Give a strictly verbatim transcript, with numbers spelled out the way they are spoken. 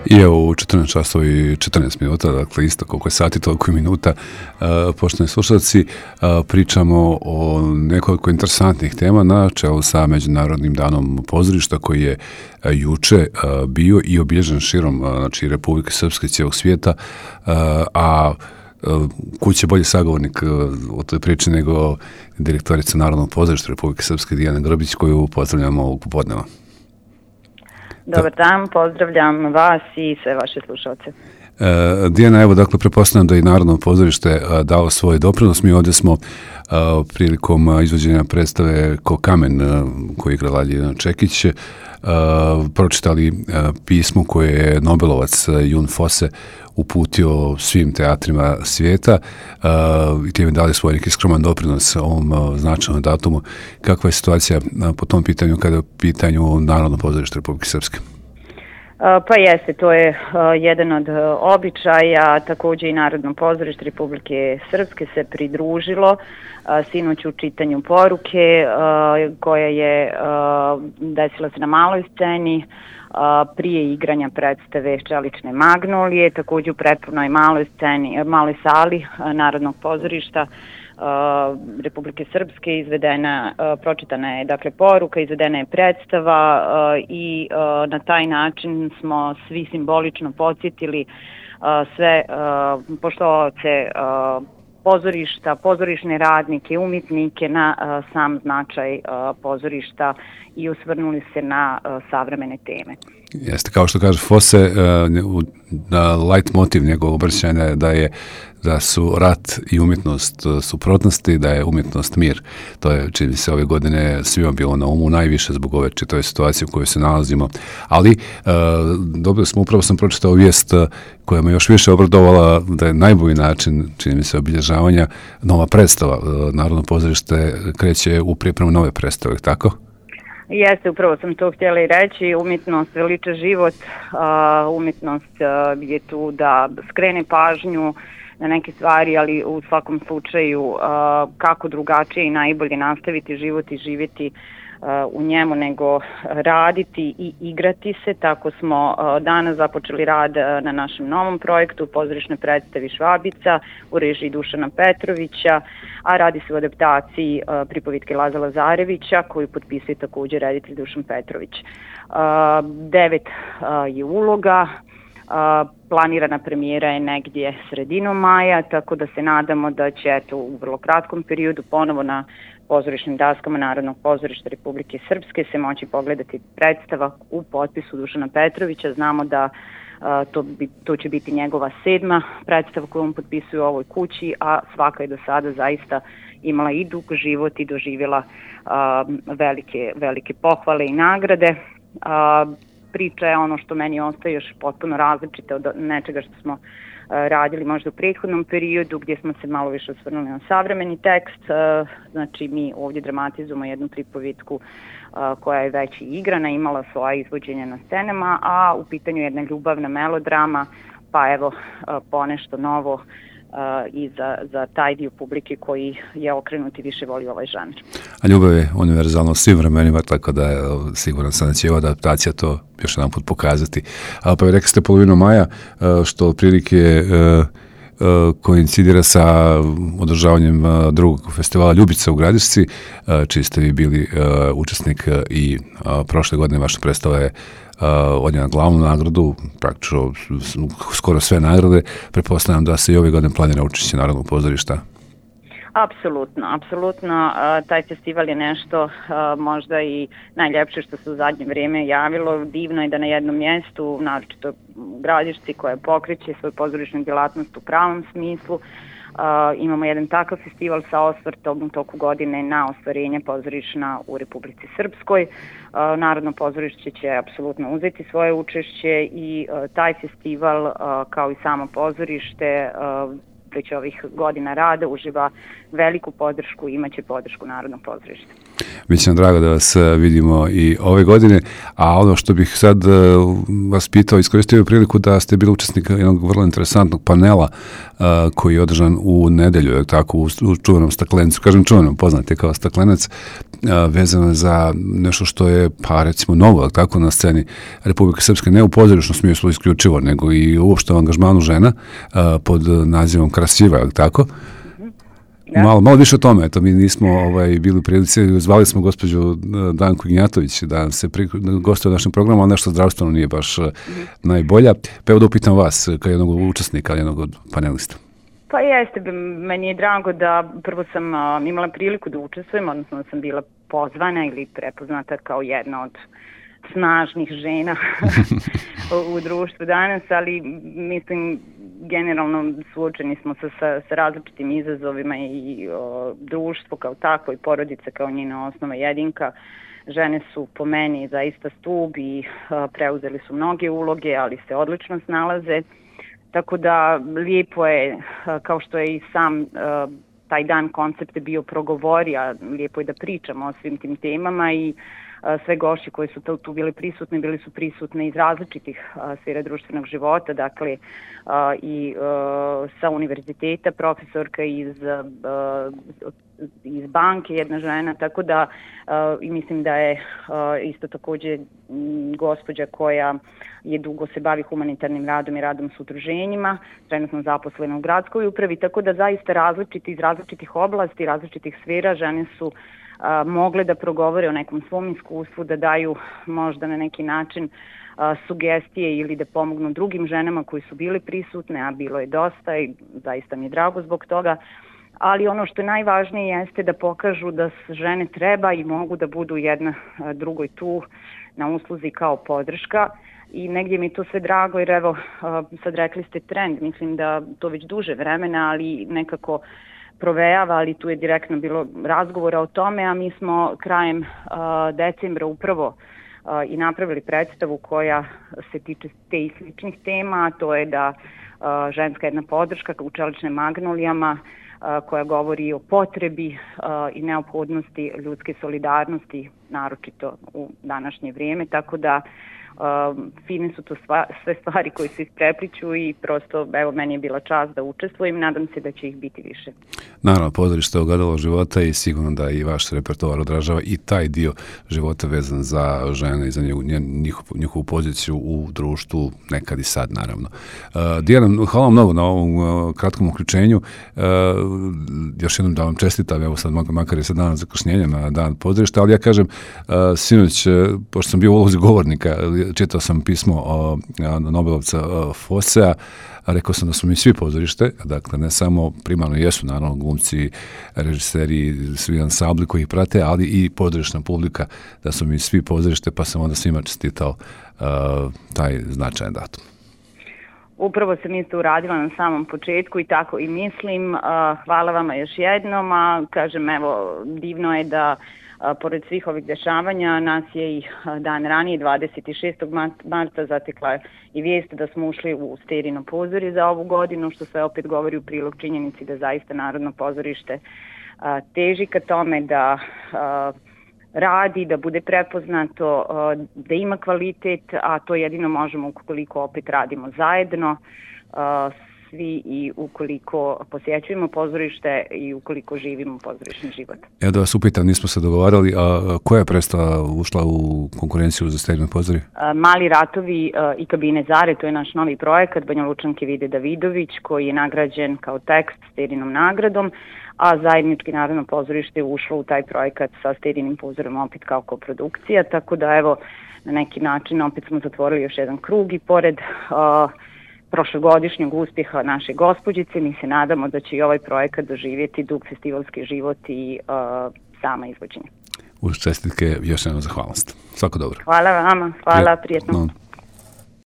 I evo u četrnaest časova i četrnaest minuta, dakle isto koliko je sati, toliko i minuta, poštovani slušalci, pričamo o nekoliko interesantnih tema na čelu sa Međunarodnim danom pozorišta koji je juče bio i obilježen širom, znači Republike Srpske i cijelog svijeta, a kuće bolji sagovornik o toj priči nego direktorica Narodnog pozorišta Republike Srpske Dijana Grbić, koju pozdravljamo ovog popodneva. Dobar dan, pozdravljam vas i sve vaše slušalce. E, Dijana, evo, dakle, pretpostavljam da i Narodno pozorište dao svoj doprinos. Mi ovdje smo a, prilikom izvođenja predstave Ko kamen, a, koji igra Ljiljana Čekić, a, pročitali a, pismo koje je Nobelovac Jun Fosse uputio svim teatrima svijeta uh, i time dali svoj neki skroman doprinos ovom uh, značajnom datumu. Kakva je situacija uh, po tom pitanju kada je u pitanju Narodno pozorište Republike Srpske? Uh, pa jeste, to je uh, jedan od uh, običaja, također i Narodno pozorište Republike Srpske se pridružilo uh, sinoć u čitanju poruke uh, koja je uh, desila se na maloj sceni prije igranja predstave Čelične magnolije, također u prepunoj maloj sceni, maloj sali Narodnog pozorišta Republike Srpske izvedena, pročitana je dakle poruka, izvedena je predstava i na taj način smo svi simbolično podsjetili sve poštovaoce pozorišta, pozorišne radnike, umjetnike na uh, sam značaj uh, pozorišta i osvrnuli se na uh, savremene teme. Jeste, kao što kaže Fosse, uh, light motiv njegovog obraćanja je da je da su rat i umjetnost suprotnosti, da je umjetnost mir. To je, čini se, ove godine svima bilo na umu, najviše zbog ove čitave situacije u kojoj se nalazimo. Ali, uh, dobili smo, upravo sam pročitao vijest koja me još više obradovala da je najbolji način, čini mi se, obilježavanja nova predstava. Uh, Narodno pozorište kreće u pripremu nove predstave, tako? Jeste, upravo sam to htjela i reći, umjetnost veliča život, uh, umjetnost uh, je tu da skrene pažnju na neke stvari, ali u svakom slučaju uh, kako drugačije i najbolje nastaviti život i živjeti uh, u njemu nego raditi i igrati se. Tako smo uh, danas započeli rad uh, na našem novom projektu pozorišne predstavi Švabica u režiji Dušana Petrovića, a radi se o adaptaciji uh, pripovitke Laza Lazarevića koju potpisuje također reditelj Dušan Petrović. Uh, devet uh, je uloga. Uh, planirana premijera je negdje sredinom maja, tako da se nadamo da će eto, u vrlo kratkom periodu ponovo na pozorišnim daskama Narodnog pozorišta Republike Srpske se moći pogledati predstava u potpisu Dušana Petrovića. Znamo da uh, to, bi, to će biti njegova sedma predstava koju on potpisuje u ovoj kući, a svaka je do sada zaista imala i dug život i doživjela uh, velike, velike pohvale i nagrade. Uh, Priča je ono što meni ostaje još potpuno različite od nečega što smo uh, radili možda u prethodnom periodu gdje smo se malo više osvrnuli na savremeni tekst. Uh, znači mi ovdje dramatizujemo jednu pripovitku uh, koja je već i igrana, imala svoja izvođenja na scenama, a u pitanju je jedna ljubavna melodrama, pa evo uh, ponešto novo Uh, i za, za taj dio publike koji je okrenut i više voli ovaj žanr. A ljubav je univerzalno svim vremenima, tako da je siguran sam da će ova adaptacija to još jedan put pokazati. A, pa rekli ste polovinu maja, uh, što otprilike uh, uh, koincidira sa održavanjem uh, drugog festivala Ljubica u Gradišci, uh, čiji ste vi bili uh, učesnik uh, i uh, prošle godine vaša predstava je Uh, odnijela glavnu nagradu, praktično skoro sve nagrade. Pretpostavljam da se i ove godine planira učešće Narodnog pozorišta. Apsolutno, apsolutno. Uh, taj festival je nešto uh, možda i najljepše što se u zadnje vrijeme javilo. Divno je da na jednom mjestu, naročito u Gradišci koja pokreće svoju pozorišnu djelatnost u pravom smislu, Uh, imamo jedan takav festival sa osvrtom u toku godine na ostvarenje pozorišna u Republici Srpskoj. Uh, Narodno pozorište će apsolutno uzeti svoje učešće i uh, taj festival uh, kao i samo pozorište uh, već ovih godina rada uživa veliku podršku i imaće podršku Narodnog pozorišta. Biće nam drago da vas vidimo i ove godine, a ono što bih sad vas pitao, iskoristio priliku da ste bili učesnik jednog vrlo interesantnog panela koji je održan u nedelju, tako, u čuvenom Staklencu, kažem čuvenom, poznate kao Staklenac, vezano za nešto što je, pa recimo, novo, tako, na sceni Republike Srpske, ne u pozorišnom smislu isključivo, nego i uopšte u angažmanu žena pod nazivom Krasiva, tako? Da. Malo, malo više o tome, eto, mi nismo ovaj, bili u prilici, zvali smo gospođu Danku Ignjatović da se pri, gostuje u našem programu, ali nešto zdravstveno nije baš mm-hmm. najbolja. Pa evo da upitam vas, kao jednog učesnika, jednog od panelista. Pa jeste, meni je drago da prvo sam uh, imala priliku da učestvujem, odnosno da sam bila pozvana ili prepoznata kao jedna od snažnih žena u društvu danas, ali mislim generalno suočeni smo sa, sa, sa različitim izazovima i o, društvo kao tako i porodica kao njena osnova jedinka. Žene su po meni zaista stub i a, preuzeli su mnoge uloge, ali se odlično snalaze. Tako da lijepo je, a, kao što je i sam a, taj dan koncept bio progovori, a lijepo je da pričamo o svim tim temama i sve gošće koji su tu bili prisutni, bili su prisutni iz različitih sfera društvenog života, dakle i sa univerziteta, profesorka iz, iz banke, jedna žena, tako da i mislim da je isto također gospođa koja je dugo se bavi humanitarnim radom i radom s udruženjima, trenutno zaposlena u gradskoj upravi, tako da zaista različiti iz različitih oblasti, različitih sfera žene su A, mogle da progovore o nekom svom iskustvu, da daju možda na neki način a, sugestije ili da pomognu drugim ženama koji su bili prisutne, a bilo je dosta i zaista mi je drago zbog toga. Ali ono što je najvažnije jeste da pokažu da žene treba i mogu da budu jedna a, drugoj tu na usluzi kao podrška. I negdje mi je to sve drago jer evo, a, sad rekli ste trend, mislim da to već duže vremena, ali nekako provejava, ali tu je direktno bilo razgovora o tome, a mi smo krajem uh, decembra upravo uh, i napravili predstavu koja se tiče te i sličnih tema, a to je da uh, ženska jedna podrška u čeličnim magnolijama uh, koja govori o potrebi uh, i neophodnosti ljudske solidarnosti, naročito u današnje vrijeme, tako da Uh, fine su to sva, sve stvari koje se isprepliču i prosto, evo, meni je bila čast da učestvujem, nadam se da će ih biti više. Naravno, pozorište je ogledalo života i sigurno da i vaš repertoar odražava i taj dio života vezan za žene i za njihovu, njihovu poziciju u društvu, nekad i sad, naravno. Uh, Dijana, hvala vam mnogo na ovom uh, kratkom uključenju. Uh, još jednom da vam čestitam, evo sad makar je sad dan zakašnjenja na dan pozorišta, ali ja kažem, uh, sinoć, uh, pošto sam bio u ulozi govornika, čitao sam pismo o, o Nobelovca Fossea, a rekao sam da su mi svi pozorište, dakle ne samo primarno jesu naravno glumci, režiseri, svi ansambli koji ih prate, ali i pozorišna publika, da su mi svi pozorište, pa sam onda svima čestitao uh, taj značajan datum. Upravo sam isto uradila na samom početku i tako i mislim. Uh, hvala vama još jednom, a kažem, evo, divno je da A, pored svih ovih dešavanja, nas je i dan ranije, dvadeset šestog marta, zatekla i vijest da smo ušli u Sterino pozorje za ovu godinu, što sve opet govori u prilog činjenici da zaista Narodno pozorište a, teži ka tome da a, radi, da bude prepoznato, a, da ima kvalitet, a to jedino možemo ukoliko opet radimo zajedno, a, svi i ukoliko posjećujemo pozorište i ukoliko živimo pozorišni život. Ja da vas upitam, nismo se dogovarali, a koja je predstava ušla u konkurenciju za Sterino pozorje? Mali ratovi i kabine Zare, to je naš novi projekat Banja Lučanke Vide Davidović, koji je nagrađen kao tekst Sterinom nagradom, a zajednički Narodno pozorište je ušlo u taj projekat sa Sterinim pozorjem opet kao koprodukcija, tako da evo na neki način opet smo zatvorili još jedan krug i pored uh, prošlogodišnjeg uspjeha naše gospođice, mi se nadamo da će i ovaj projekat doživjeti dug festivalski život i uh, sama izvođenje. Uz čestitke još jednom zahvalnost. Svako dobro. Hvala vama, hvala, prijetno. No.